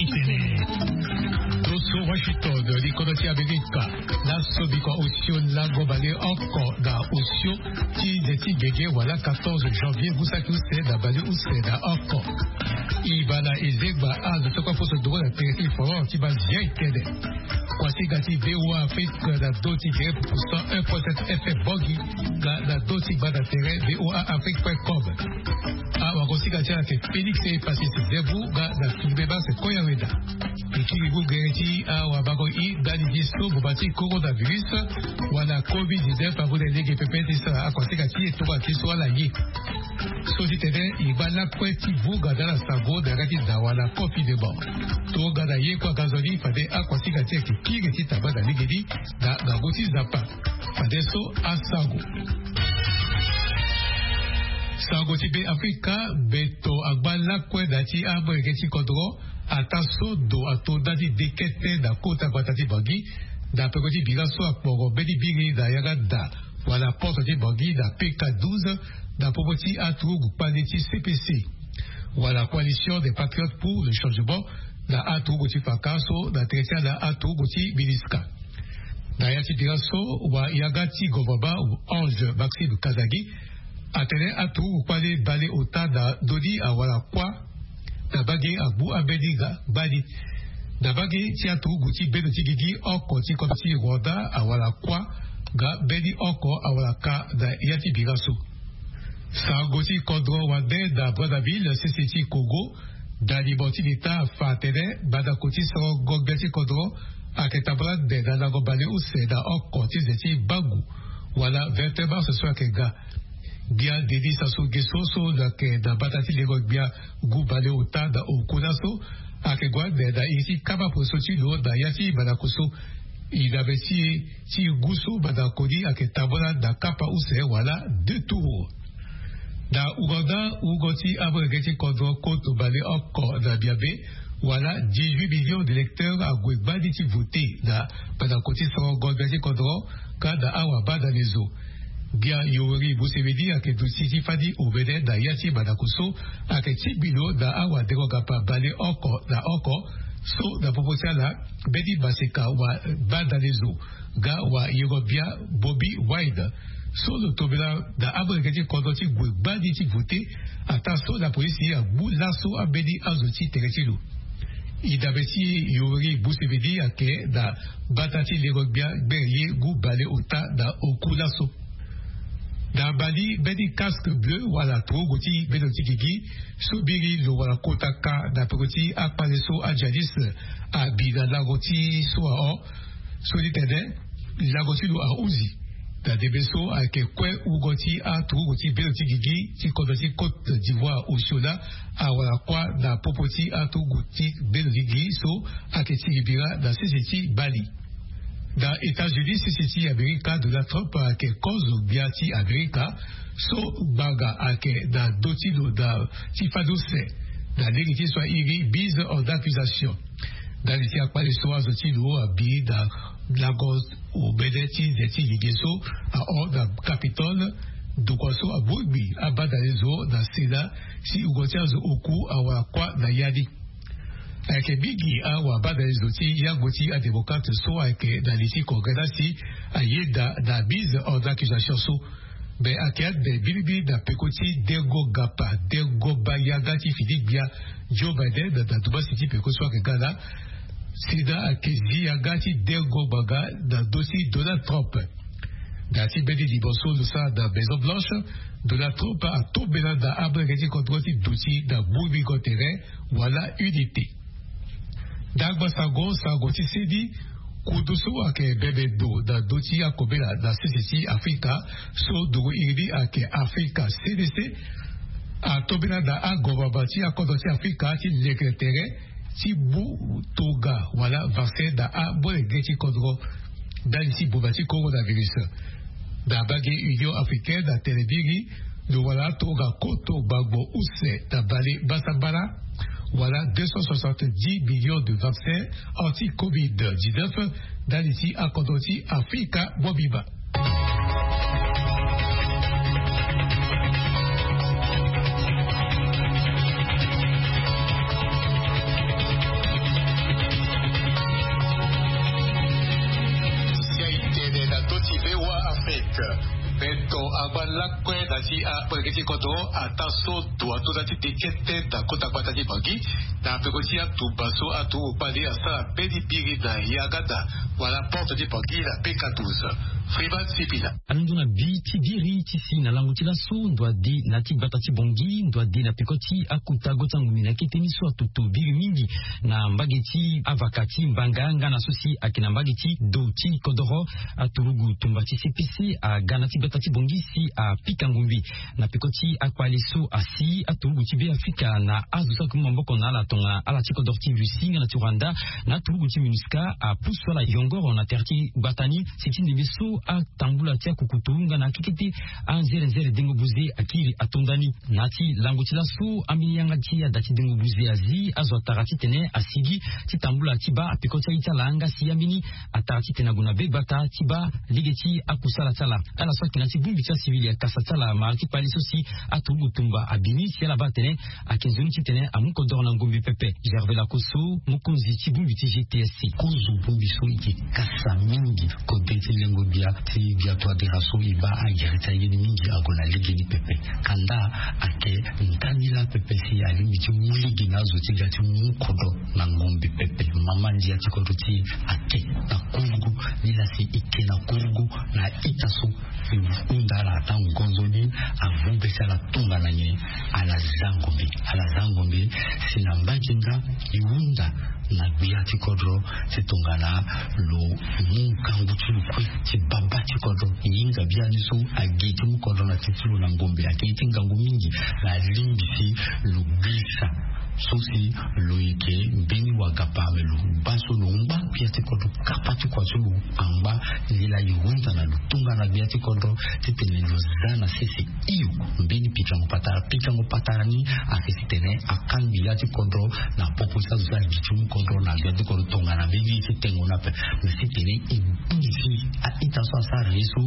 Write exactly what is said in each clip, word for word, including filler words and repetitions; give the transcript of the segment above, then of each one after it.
Toso Washington, likodro ti Amerika. Laso bikua osio lango baleoko na osio ti nze ti gege wala quatorze janvier ngu saki use na baleuse na oko. E baa na ezengba azo ti kue aposo nduru na tere ti forum ti bazia etene. Kuasinga ti V O A Afrique na do ti gere pupu cent un point sept F M Bangui, nga na do ti gba na tere V O A Afrique point com. Awakosinga ti ala ayeke Félix Epasis Zembu nga na Filme Max Koyaweda. E kiri ngu gere ti awabango i ndali ti so ngboma ti coronavirus wala covid dix-neuf amu na e lege pepe ti sara akuasinga ti e tongana ti so ala ye. So ti tene e ngba lakue ti vunga na ala sango na yanga ti da wala confinement. Tongana ye kue aga nzoni fade akuasinga ti e ayeke kiri ti tamba na legeni na ngangu ti Nzapa. Fadeso asango. Sango ti Be Afrika, beto angba lakue na ya ti amolenge ti kodro, ataa so ndo ato nda ti dekete na kota gbata ti Bangui, na peko ti bira so akporo mbeni biri na yanga nda wala porte ti Bangui na P K douze, na popo ti aturugu kpale ti C P C wala Coalition des Patriotes pour le Changement, na aturugu ti faka so na tere ti ala aturugu ti MINUSCA. Na ya ti bira so, wayanga ti gouvernement Ange Maxime Kazadi atene aturugu kpale baleota na ndoni awara kuâ na mbage agbu ambeni ga gbani. Na mbage ti aturugu ti bendo ti gigi oko ti kodro ti Rwanda awara kuâ nga mbeni oko awara ka na ya ti bira so. Sango ti kodro wande na Brazzaville, sese ti Congo, dalimo ti leta afa atene mandako ti sorongo gbia ti kodro ayeke tambula ande na lango baleuse na oko ti nze ti mbangu wala vingt et un mars so ayeke ga. Gbia Denis Sassou Nguesso so lo yeke na mbata ti lengo gbia ngu baleota na oku laso ayeke gue ande na iri ti kama poso ti lo na ya ti mandako so. E na be ti e ti ngu so mandako ni ayeke tambula na kapa use wala deux tours. Na Ouganda, wungo ti amolenge ti kodro koto baleoko na Biabe wala dix-huit millions d'électeurs ague gbani ti vote na mandako ti sorongo gbia ti kodro nga na awabadalezo. Gbia Yoweri Museveni ayeke duti ti fani omene na ya ti mandako so ayeke tingbi lo na awadengo-gapa baleoko na oko so na popo ti ala mbeni maseka wabadalezo nga wayengo-bia Bobi Wine so lo tombela na amolenge ti kodro ti gue gbani ti vote, ataa so na polisi agbu laso ambeni azo ti tere ti lo. E dabe ti Yoweri Museveni ayeke na mbata ti lengo gbia gbere ye ngu baleota na oku laso. Na Mali, mbeni casque bleu wala turugu ti bendo ti gigi so biri lo wala kota ka na peko ti akpale so ajihadiste abi na lango ti so ahon. So ti tene lango ti lo ahuzi. Na ndembe so ayeke kue wungo ti aturugu ti bendo ti gigi ti kodro ti Côte d'Ivoire osio laa awara kuâ na popo ti aturugu ti bendo ti gigi so ayeke tingbi bira na sese ti Mali. Na États-Unis, sese ti Amerika, Donald Trump ayeke kozo gbia ti Amerika so ngbanga ayeke na ndö ti lo na ti fade use na lege ti so airi mise en accusation. Ndali ti akpale so azo ti lo abi na lango omene ti nze ti gigi so ahon na Capitole, ndokua so abongbi abadalezo na Sénat si wungo ti azo oku awara kuâ na ya ni. Ayeke mingi awabadalezo ti yango ti adémocrate so ayeke na li ti Congrès laa si ayeda na mise en accusation so. Me ayeke ande mingi mingi na peko ti dengo gapa, dengo baa yanga ti fini gbia Joe Biden na dumbasi ti peko so ayeke ga laa. Sénat ayeke zi yanga ti dengo ngbanga na ndö ti Donald Trump. Na ya ti mbeni limo so lo sara na Maison Blanche, Donald Trump atombela na amolenge ti kodro ti duti na mbumbingo tere wala unité. Ndangba sango, sango ti seni, kundu so ayeke bembe ndo na ndö ti akobela na sese ti Afrika so nduru iri ni ayeke Afrika C D C, atombela na agouvernement ti akodro ti Afrika ti leke tere ti mu tonga wala vaccin na amolenge ti kodro ndali ti boma ti coronavirus. Na mbage Union Africaine atene mingi lo wara atonga koto gbangbo use na bale mbasambala wala deux cent soixante-dix millions de vaccins anti-covid dix-neuf ndali ti akodro ti Afrika mobimba. Ti amolenge ti kodro ataa so ndo atonda ti de kete na kota gbata ti Bangui. Na peko ti atumba so aturugu kpale asara mbeni biri na yangada wala porte ti Bangui na P K douze. Freeman Sipila. Alondo na bi ti biri ti si na lango ti laso ndo ade na ti gbata ti Bangui, ndo ade na peko ti akota go ti angombe na kete ni so atutu biri mingi na mbage ti avaka ti Mbanga nga na so si ayeke na mbage ti do ti kodoro. Aturugu tumba ti C P C aga na ti gbata ti Bangui si apika ngombe na peko ti akpale so asi aturugu ti Beafrika na azo so ayeke mu maboko na ala tongana ala ti kodoro ti Russie nga na ti Rwanda na aturugu ti MINUSCA apusu ala yongoro na tere ti gbata ni si ti ndembe so atambula ti akukutu nga na akekete anzerenzere dengo buze akiri atonda ni. Na ti lango ti laso ambeni yanga ti ada ti dengo buze azi azo atara titene asigi ti tambula ti baa peko ti aye ti ala nga si ambeni atara titene ague na be gbata ti baa lege ti akusala ti ala. Ala so ayeke na ti bongbi ti asivili akasa ti ala mara ti kpale so si aturugu tumba abi ni si ala baa atene ayeke nzoni titene amu kodoro na ngombe pepe. Gervais Lakoso, mokonzi ti bongbi ti G T S C. Kozo bongbi so e yeke kasa mingi kode ti lengo gbia ti gbia toadera so e baa agere ti aye ni mingi ague na legeni pepe. Kanda ayeke ndani laa pepe si alingbi ti mu lege na azo ti ga ti mu kodro na ngombe pepe. Mama ndia ti kodro ti e ayeke na kurugu. Ni laa si e ke na kurugu na ita so e hunda ala ata ngonzo ni avu be ti ala tongana nyen? Ala za ngombe. Ala za ngombe si na mbage nga e hunda na gbia ti kodro ti tongana lo mu ngangu ti lo kue ti baba ti kodro. E hinga biani so agi ti mu kodro na ti ti lo na ngombe ayeke ye ti ngangu mingi. Na alingbi si lo gbisa so si lo yeke mbeni wagapa me lo baa so lo ngba gbia ti kodro kapa ti kua so lo angba. Nzila e hunda na lo tongana gbia ti kodro titene lo za na sese hio mbeni pikango patara. Pikango patara ni ayeke titene akangbi ya ti kodro na popo ti azo so agi ti mu kodro na gbia ti kodro tongana mbeni ye ti tengo ni ape. Me sitene e bongbi si a-ita so asara ye so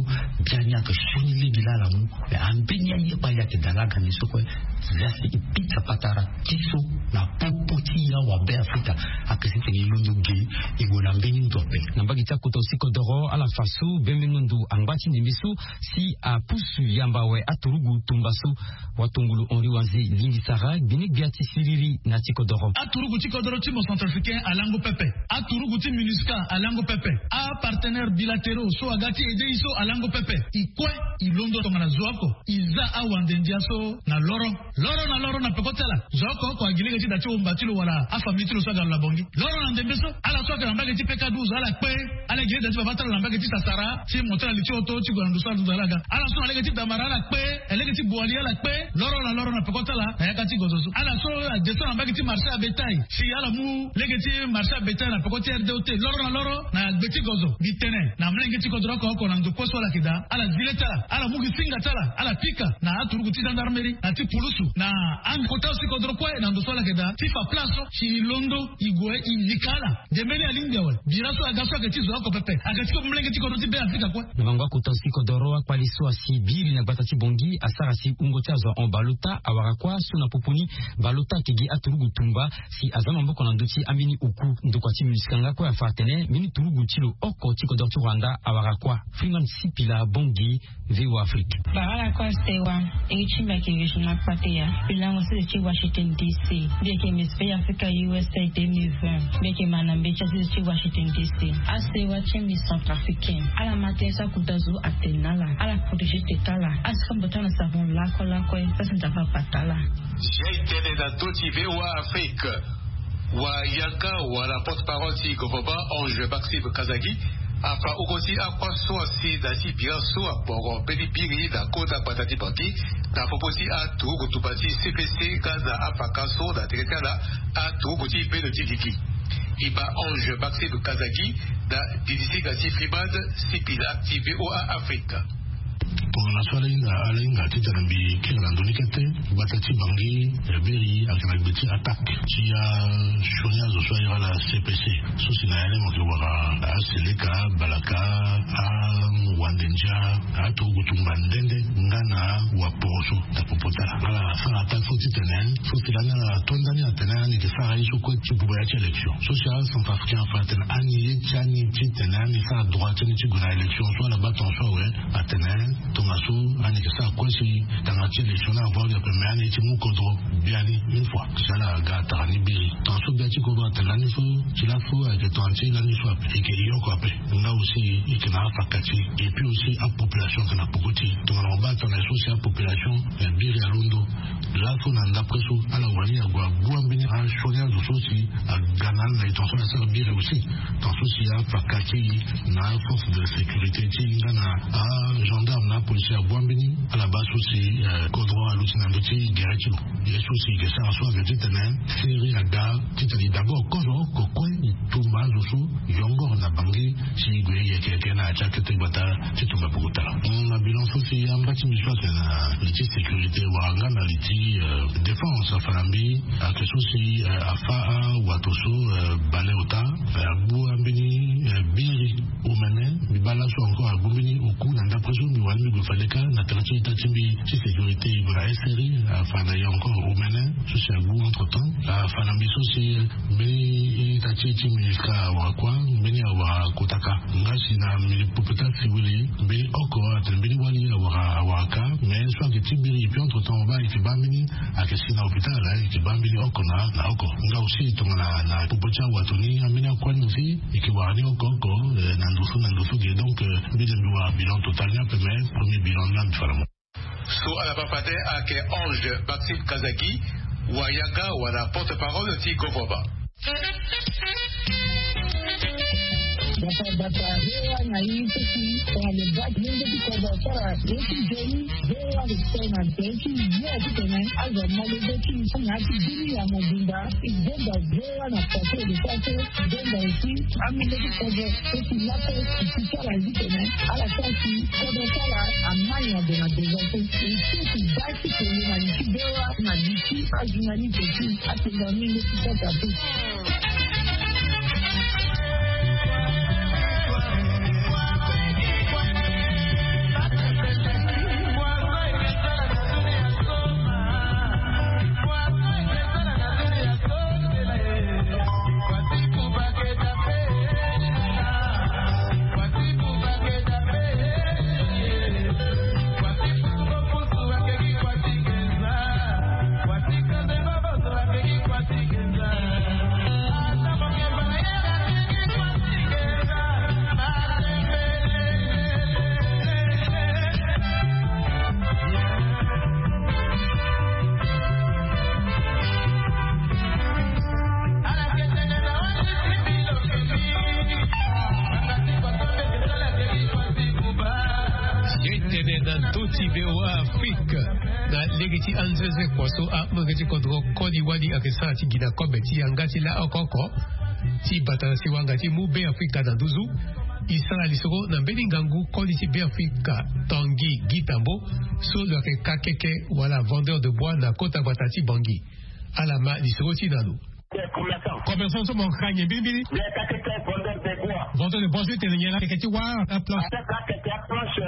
biani ayeke sioni lege laa ala mu. Me ambeni aye kpali ayeke daa laa gande so kue. Za si e pika patara ti so na popo ti e awabe Afrika. Ayeke sitene e londo ge e gue na mbeni ndo ape. Na mbage ti akota aussi kodoro ala fa so bembengo ndo angba ti ndembe so si apusu yamba awe aturugu tumba so. Watongolo Henri Wanze lingbi sara gbene gbia ti siriri na ti kodoro. Aturugu ti kodoro ti mo centrafricain alango pepe. Aturugu ti MINUSCA alango pepe. Apartenaire bilatéraux so aga ti aide e so alango pepe. E kue e londo tongana zo oko e za awande ndia so na loro. Loro na loro na peko ti ala. Zo oko oko agi lege ti da ti womba ti lo wala afamille ti lo so aga lo na Bangui. Loro na ndembe so ala so ayeke na mbage ti P K douze ala kpe. Ala gi lege ti baba ti ala na mbage ti Sasara ti mo ti ala li ti oto ti gue na ndo so ala duta ala ga. Ala so na lege ti Damara ala kpe. Lege ti Boali ala kpe. Loro na loro na peko ti ala na yaka ti gozo so. Ala so adescend na mbage ti marché à bétail si ala mu lege ti marché à bétail na peko ti R D O T. Loro na loro na gbe ti gozo. Mbi tene na molenge ti kodro oko oko na ndo kue so ala yeke daa ala zi le ti ala, ala mu gi singa ti ala, ala pika na aturugu ti gendarmerie na ti pulusu na akota ti kodro kue na ndo so ala yeke daa ti fa place so si e londo e gue e yika ala. Nde mbeni alingbi awe. Bira so aga so ayeke ti zo oko pepe ayeke ti ko molenge ti kodro ti Beafrika kue. Na mango akota ti kodoro akpali so asi biri na gbata ti Bangui asara si wungo ti azo ahon baleota awara kuâ so na popo ni baleota ayeke gi aturugu tumba si aza maboko na ndö ti ambeni oku. Ndokua ti MINUSCA nga kue afa atene mbeni turugu ti lo oko ti kodoro ti Rwanda awara kuâ. Freeman Sipila, Bangui, V O A Afrique. Bara lakue asewa. Iri ti mbi ayeke Regina Kpateya. Mbi lango sese ti Washington D C. Mbi yeke Miss Bay Africa U S A deux mille vingt. Mbi yeke ma na mbeti asese ti Washington D C. Asewa ti mbi centrafricain. Ala ma tënë so akuta zo atene na ala. Ala protéger tete ala. Asombo ti ala na savon lakue lakue. Sasa Nzapa apata ala. Jai tene na ndö ti V O A Afrique. Wayanga wala porte-parole ti gouvernement Ange Maxime Kazadi afa oko ti akua so asi na ti bira so aboro mbeni biri na kota gbata ti Bangui na popo ti aturugu tumba ti C P C nga na afaka so na tere ti ala aturugu ti bendo ti gigi. E ma Ange Maxime Kazadi na didisi nga ti Freeman Sipila ti V O A Afrique. Tongana so ala hinga ala hinga titene mbi kiri na ndö ni kete. Gbata ti Bangui ya biri ayeke na gbe ti attaque ti asioni azo so airi ala C P C so si na ya ni mo yeke wara aseleka, balaka, awande ndia, aturugu tumba nde nde nga na waporo so na popo ti ala. Ala sara attaque so titene so si lani ala to ndani atene ani yeke sara ye so kue ti buba ya ti élection so si acentrafricain afa atene ani ye ti ani titene ani sara droit ti ani ti gue na élection so ala baa tonga so awe. Atene Tongaso ani yeke sara kue si tanga ti élection ni avoire ape, me ani ye ti mu kodro biani une fois si ala ga tara ni biri. Tongaso bia ti kodro atene lani so ti laso ayeke tongana ti lani so ape, e yeke e oko ape. Nga aussi e yeke na afaka ti e, et puis aussi apopulation ayeke na poko ti e. Tongana mo baa tongana so si apopulation, eh, biri alondo. Laso na ndapre so ala wani ague agu ambeni asioni azo so si aga na ala na e tongaso na sara biri aussi. Tongaso si afaka ti e na force de sécurité ti e nga na agendarme na apolisi agu ambeni ala baa so si, eh, kodro aluti na ndö ti gere ti lo. Ye so si e yeke sara so ayeke titene seri aga titene e d'abord kozo oko kue e tumba azo so yongoro na Bangui. Si e gue yeke yeke na ya ti akete gbata ti tumba poko tara. Mm, na bilan so si amba ti mbi so ayeke na li ti sécurité wala nga na li ti, euh, défense afa na mbi ayeke so si, euh, afa awato so, euh, baleota, euh, agbu ambeni, euh, biri omene. Mbi baa laso encore agbu mbeni oku na ndapre so mbi wani mbi gue fade kâ na tënë ti ita ti mbi ti sécurité e gue na S R I afa na e encore omene. So si agbu entre temps afa na mbi so si, euh, mbeni ita ti e ti MINUSCA awara kua, mbeni awara kota kâ. Nga si na mbi popeta siwili mbeni oko atene mbeni wali awara awara kâ. Mais so ayeke ti biri et puis entre temps mo baa e yeke baa mbeni ayeke si na hôpital, eh, e yeke baa mbeni oko na na oko. Nga aussi tongana na popo ti awato ni ambeni akua ni aussi e yeke wara ni oko oko, eh, na ndo so na ndo so ge. Donc, eh, mbi de mbi wara bilan total ni ape, mais premier bilan ni la mbi fa na mo. So ala baa fade ayeke Ange Maxime Kazaki, wayaga wala porte-parole ti Govoba. Bata bata V O A na ye so si tongana lo baa ti lenge ti kodro asara ye ti nzoni, V O A lo tene na tere ti ye titene azo amolenge ti na ya ti bini ya mobimba. E donda V O A na façon lo sara so, e donda aussi amolenge ti kodro so si laso e si ti ala titene ala sara si kodro ti ala amai na ndo na ndo so. E so si baa ti kele na li ti V O A na li ti ajournaliste ti atenda ni nde ti sasa so. Ye tene na ndö ti V O A Afrique na lege ti anzenze kua so amolenge ti kodro koli wali ayeke sara ti gi na kobe ti yanga ti la oko oko ti bata na siwanga ti mu Beafrika na nduzu. E sara lisoro na mbeni ngangu koli ti Beafrika Tanguy Guy Tambo so lo yeke kakeke wala vendeur de bois na kota gbata ti Bangui. Ala ma lisoro ti na lo. Commerçant so mo ka nyen mbirimbiri? Vendeur de bois so e tene nyen la? Akeke ti wâ, aplanche.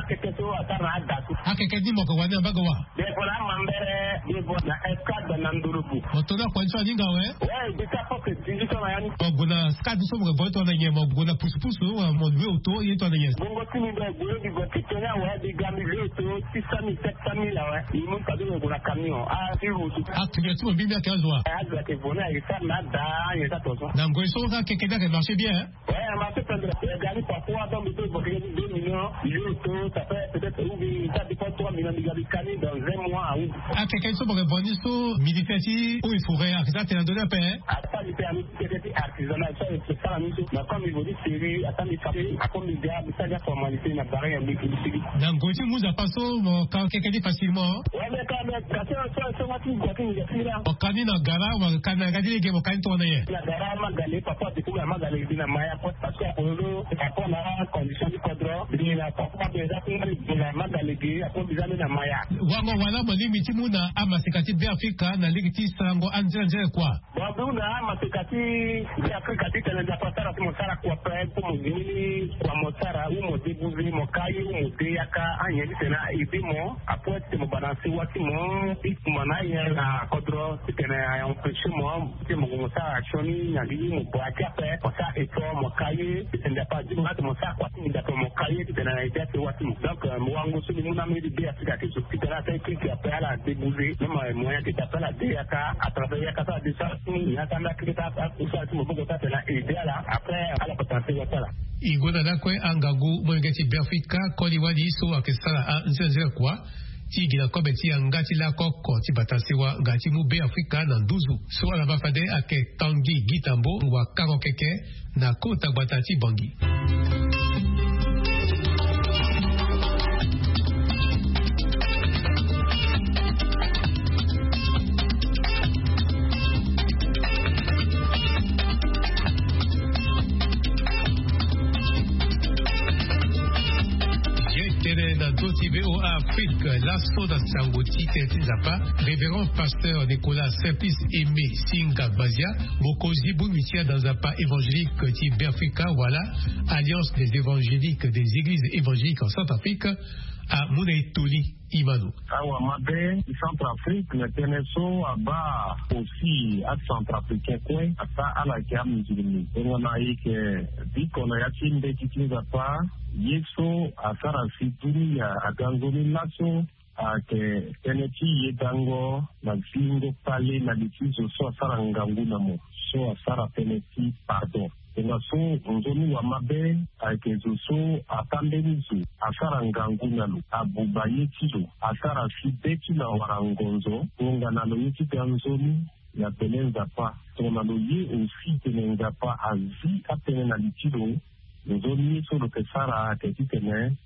Akeke so asara na ada so. Akeke ni mo yeke wani na mbage wâ? Defo na amambere, defo na escadre na ndoloku. Mo to ni akua ni so aninga awe? Ouais, je suis à peu près dix-huit ans na ya ni. Mo gue na escadre so mo yeke gue tongana nyen? Mo gue na pusupusu wala mo loue auto ye tongana nyen? Bongo ti mbi mbi gue mbi gue ti tene awe, mbi ga mbi loue auto six cent mille, sept cent mille awe. Mbi mu fade mbi gue na camion. Ah, ti route. Activité ti mo mbi mbi ayeke azo wa? Eh, azo ayeke vo ni ayeke sara na ada, ayeke sara tongaso. Na ngoi so akeke ni ayeke marché bien, hein? Ouais, marché pendere. Eh, gari parfois, donc, mbi peut évoquer deux millions, loue auto, ça fait peut-être, ou bien, ça dépend trois millions, mbi ga mbi ka ni dans un mois, ah oui. Akeke so mo yeke vo ni so, ministère ti eaux et forêts ayeke sara tene na ndö ni ape, hein? Asara ni tene na ndö ti artisanat so ayeke sara ni so. Na comme niveau ti série, asara ni fabrique, après mbi ga mbi sara formalité na barrière ya mbi mbi sigi. Na ngoi ti mu Nzapa so mo ka keke ni facilement? Ouais, mais quand même, parce que so so nga ti gua ti ngia ti la. Mo ka ni na gara, mo ka ni na ga ti lege, mo ka ni tongana nyen? Na gara Magale, papa depuis na Magale mbi na Maya, parce que akololo, papa na condition ti kodro, mbi na papa déjà ti mbi na Magale ge, après mbi za mbi na Maya. Wango wala mo lingbi ti mu na amaseka ti Beafrika na lege ti sarango anzere anzere kua? Bon, mbi hunda amaseka ti Beafrika titene Nzapa asara ti Mo sara kua pe, po mo zi ni kua mo sara, ou mo debuze mo ka ye, ou mo de yaka anyen titene a ede mo. Après titene mo bana sewa ti mo, i kuma na anyen na kodro titene a empêcher mo titene mo gue mo sara sioni na li, mo bua ti ape mo sara effort mo ka ye titene Nzapa azi mo, titene mo sara kua ti mo, titene mo ka ye titene a ede asewa ti mo. Donc, euh, mo wango so ni mu na mbeni be Afrika ayeke zo titene ala sara keke ape, ala debuze même, euh, moyen ayeke daa ape, ala de yaka à travers yaka so ala de sara ti mo, yaka nda keke so ala kusala ti maboko so atene a ede ala. Après ala bata na sewa ti ala. E gonda lakue angangu molenge ti Beafrika koli wali so ayeke sara anzenze kua ti gi na kobe ti yanga ti lako oko ti bata sewa nga ti mu Beafrika na nduzu. So ala ma fade ayeke Tanguy Guy Tambo, wakango keke na kota gbata ti Bangui. Ye tene na ndö ti VOA Afrique, laso na sango ti tene ti Nzapa, révérend pasteur Nicolas Simplice Aimé Singa Gbazia, mokonzi bongbi ti azo Nzapa évangélique ti Beafrika wala Alliance des évangéliques des églises évangéliques en Centrafrique, amu na e toli. Imano. Awa mabe ti Centrafrique na tënë so abaa aussi acentrafricain kue, ataa ala yeke amusulmi. Tongana e yeke biko na ya ti mbeti ti Nzapa, ye so asara si dunia aga nzoni laso ayeke tënë ti yedango na zingo kpale na li ti zo so asara ngangu na mo, so asara tënë ti pardon. Tongaso nzoni wa mabe ayeke zo so ata mbeni zo asara ngangu na lo, abuba ye ti lo, asara si be ti lo awara ngonzo, tongana lo ye ti ga nzoni na pele Nzapa. Tongana lo ye aussi tene Nzapa azi atënë na li ti lo, nzoni ye so lo yeke sara ayeke titene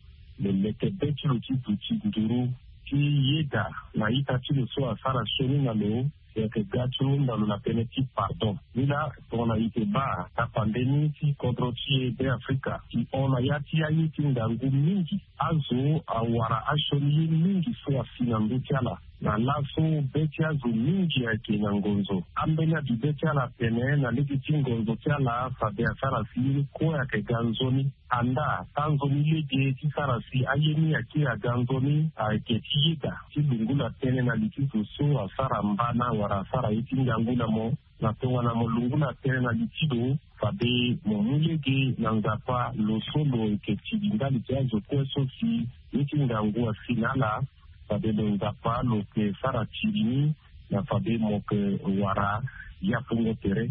lo leke be ti lo ti duti nduru ti yeda na ita ti lo so asara sioni na lo, e yeke ga ti hunda lo na tënë ti pardon. Ni laa tongana e yeke baa tapande ni ti kodro ti e Beafrika, e hon na ya ti aye ti ngangu mingi. Azo awara asioni ye mingi so asi na ndö ti ala. Na laso be ti azo mingi ayeke na ngonzo. Ambeni abi be ti ala atene na lege ti ngonzo ti ala fade asara si ye ni kue ayeke ga nzoni. Andaa, tanzoni lege ti sara si aye ni akiri aga nzoni ayeke ti yeda ti lungula tënë na li ti zo so asara mbana wala asara ye ti ngangu na mo. Na tongana mo lungula tënë na li ti lo, fade mo mu lege na Nzapa lo so lo yeke tiri ndali ti azo kue so si ye ti ngangu asi na ala. Fade lo Nzapa lo yeke sara tiri ni na fade mo yeke wara yapungo tere.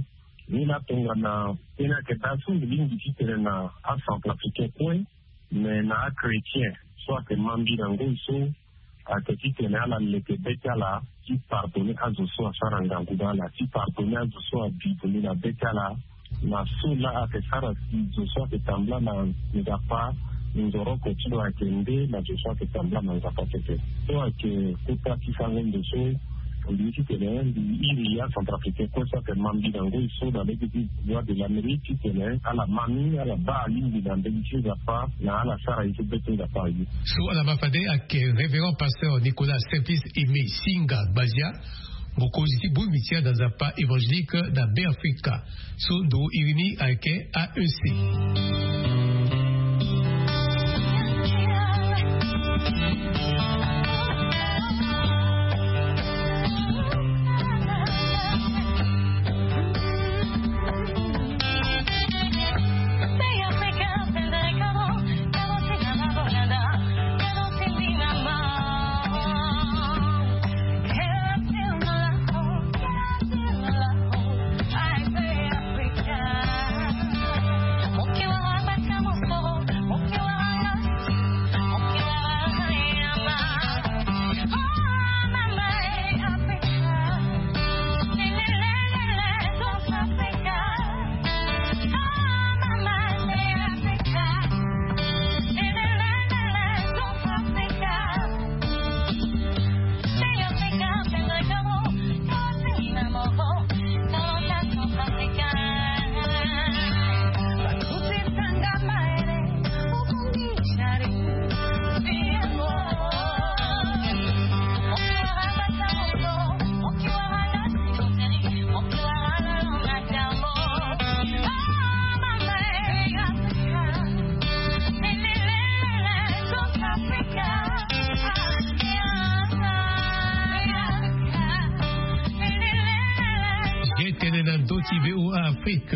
Ni laa tongana tënë ayeke daa so mbi lingbi ti tene na acentrafricain kue, me na achrétien so ayeke ma mbi na ngoi so ayeke titene ala leke be ti ala ti pardonner azo so asara ngangu na ala, ti pardonner azo so abi vundu na be ti ala. Na so laa ayeke sara si zo so ayeke tambula na Nzapa nzoroko ti lo ayeke nde na zo so ayeke tambula na Nzapa tete. So ayeke kota ti sango ndo so mbi ye titene mbi iri acentrafricain kue so ayeke ma mbi na ngoi so na lege ti Voix de l'Amérique titene ala ma ni, ala baa alingbi na mbeni ti Nzapa na ala sara ye so be ti Nzapa aye. So ala ma fade ayeke révérend pasteur Nicolas Simplice Aimé Singa Gbazia, mokonzi ti bongbi ti azo Nzapa évangélique na Beafrika. So ndo iri ni ayeke A E C. Afrique.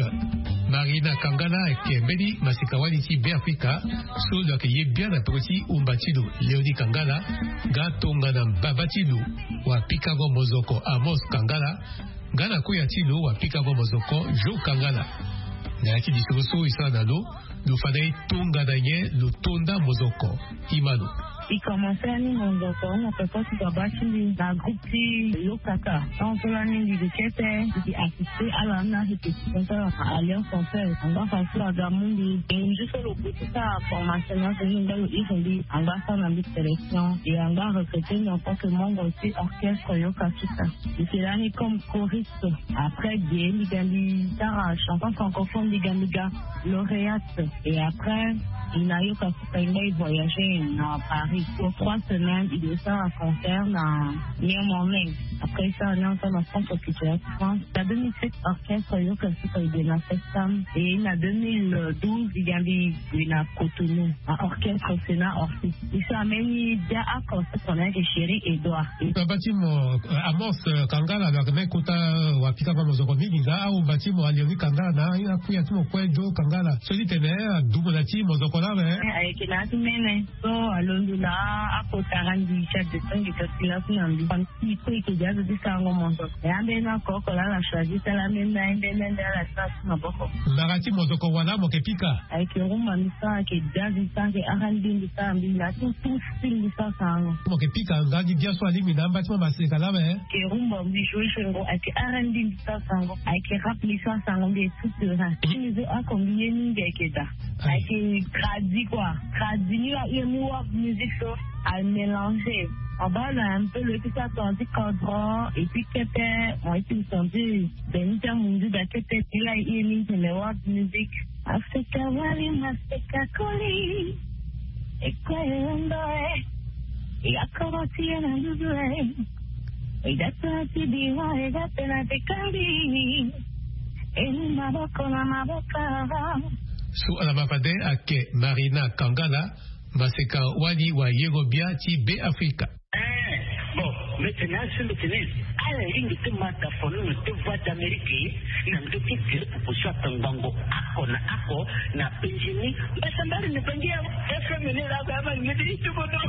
Marina Kangala ayeke mbeni maseka-wali ti Beafrika so lo yeke ye biani na peko ti umba ti lo, Léonie Kangala, nga tongana mbaba ti lo wapikango mozoko Amos Kangala, nga na kuya ti lo wapikango mozoko Jo Kangala. Na ya ti lisoro so e sara na lo, lo fade e tongana nyen lo to nda mozoko. Imano. E komanse ni mozoko na peko ti baba ti mbi na groupe ti Yokaka. Tant so lani mbi yeke kete, mbi yeke assister ala ni na répétition ti ala na Alliance Française. Angba façon aga mu mbi. E ngu so lo gue ti sara formation ni azo ni, angba lo iri mbi, angba asara na mbi sélection. E angba arecruter mbi en tant que membre ti orchestre Yokaka. Mbi yeke lani comme choriste. Après ge mbi ga mbi sara chanson francophone, mbi ga mbi ga lauréate. Et après mbi na Yokaka, mbi voyager na Paris pour trois semaines. Mbi sara concert na Mirmonais. Après ça, on est ensemble en centre culturel France. Na deux mille sept, orchestre Yokaka e gue na Festam. Et na deux mille douze, mbi ga mbi gue na Cotonou, na orchestre Sénat Orphée. E so ambeni dia oko so tongana ayeke Chéri Edouard. Baba ti mo, euh, Amos, euh, Kangala, lo yeke mbeni kota, euh, wapikango mozoko mingi, nga aumba ti mo Léonie Kangala na akuya ti mo kue Jo Kangala. So ti tene adumu na ti mozoko lame. Eh, ayeke na ya ti mene. So alondo na akota randi ti adesange kasi laso na mbi. Mbi kue e yeke dia azo ti sarango mozoko. E ambeni oko oko laa ala choisir ti ala ambeni, ambeni, ambeni ala ti ala ti maboko. Mbara ti mozoko wala mo yeke pika? Ayeke rumba mbi sara, ayeke jazz mbi sara, ayeke R and B mbi sara, mbi na ti tout style mbi sara sarango. Mo yeke pika nga gi bia so alingbi na amba ti mo maseka lame? Ayeke rumba mbi joue joue ngo, ayeke R and B mbi sara sarango, ayeke rap mbi sara sarango, mbi est tout terrain. Ti mbi so oko mbi ye mingi ayeke daa. Ayeke tradi quoi. Tradi ni la, ye mu world music so a mélanger. En bas là un peu lo ye ti sara tonga ti kodro et puis kete, mo ye ti sentir beni ti amundu daa kete ti la ye mingi tene world music. Afrika wali maseka koli. E kue e londo e. E akoro ti e na nduzu e. E ga tona ti bira, e ga tena ti kali. E ni maboko na maboko. So ala ma fade ayeke Marina Kangala, maseka wali wayengo bia ti Beafrika. Eh, bon, mbi tene asi mbi tene ala lingbi ti ma dafono na deux voix d'Amérique na ndö ti gere proposition atangbango oko na oko na penzi ni. Mbasambari ni penzi ya F M ni la ba ma ni ti tubo do.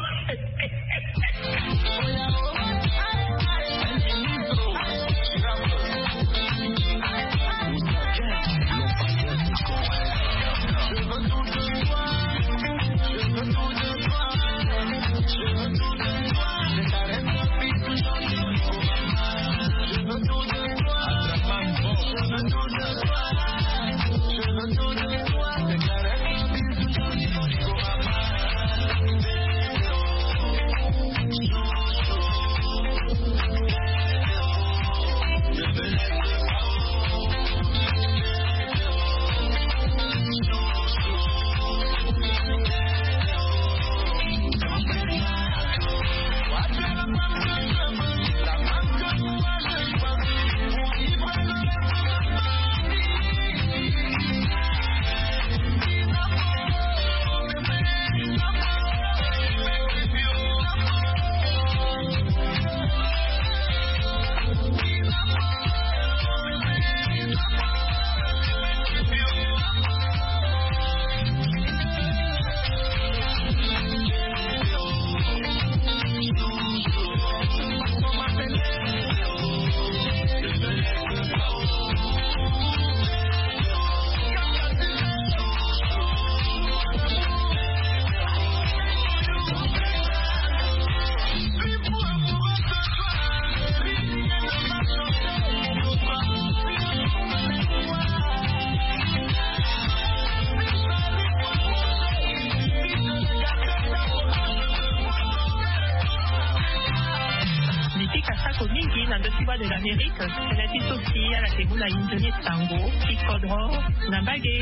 Mbi pika sako mingi na ndö ti Voix de l'Amérique. Tënë ti so si ala yeke mu na inzo ni sango ti kodro na mbage.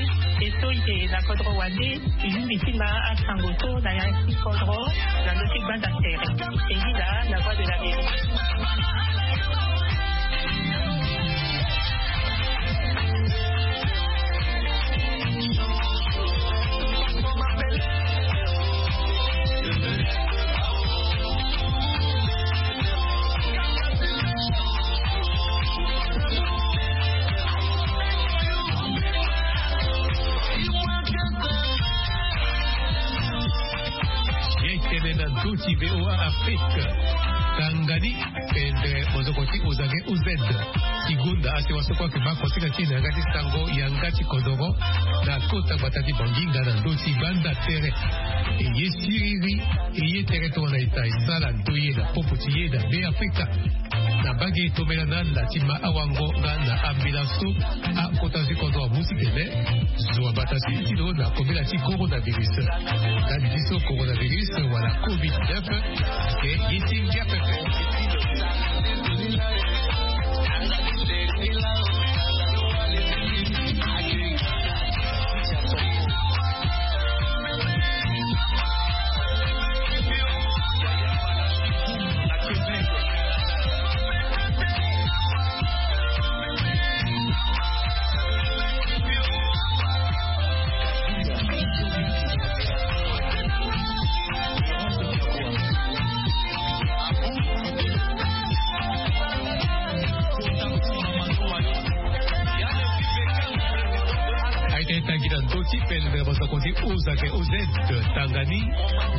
E so e yeke na kodro wande, e lingbi ti ma asango so na ya ti kodro na ndö ti gbanda tere. E ni laa na Voix de l'Amérique. Ti V O A Afrique. Tanga ni pendere mozoko ti Ozage O Z. Ti gonda ase wasoko ake ma kotika ti na yanga ti sango yanga ti kodoro na kota gbata ti Bangi nga na ndö ti gbanda tere. E ye siriri, e ye tere tongana eta e sala ndoye na popo ti ye na Be Afrika. Na mbage e tombela na ala ti ma awango nga na ambila so akota ti kodro amu ti tene zo abata ti ti lo na kombela ti coronavirus. Ndali ti so coronavirus wala covid neuf, e ye ti ngia pepe. Aye ti tangi na ndö ti pendere mosoko ti Ozake O Z. Tanga ni,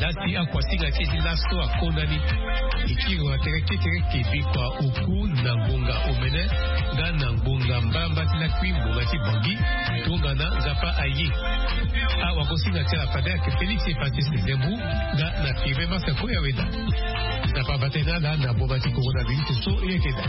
lasi akuasinga ti e ti laso akonda ni. E kiri wa tere kekereke bikua oku na ngbonga omene nga na ngbonga mbamba ti lakui ngbonga ti Bangi. Tongana Nzapa aye, awakosinga ti ala fade ayeke Félix Epacis Zembu nga na Firmin Massa Koyaweda. Nzapa ava tënë na ala na boma ti coronavirus so e yeke daa.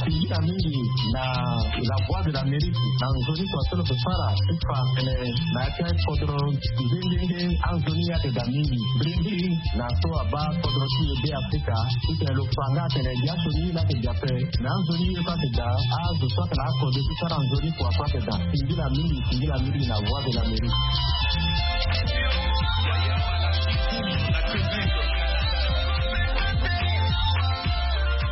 Tingila mingi na La Voix de l'Amérique na nzoni kua so lo yeke sara ti fa tene na ya ti akodro nzengenge. Anzoni ayeke daa mingi. Mbirimbi na so abaa kodro ti e Be Afrika titene lo fa nga atene ya so ni la ayeke daa ape. Na anzoni ye so ayeke daa azo so ayeke na akodro ti sara nzoni kua so ayeke daa. Tingila mingi, tingila mingi na Voix de l'Amérique.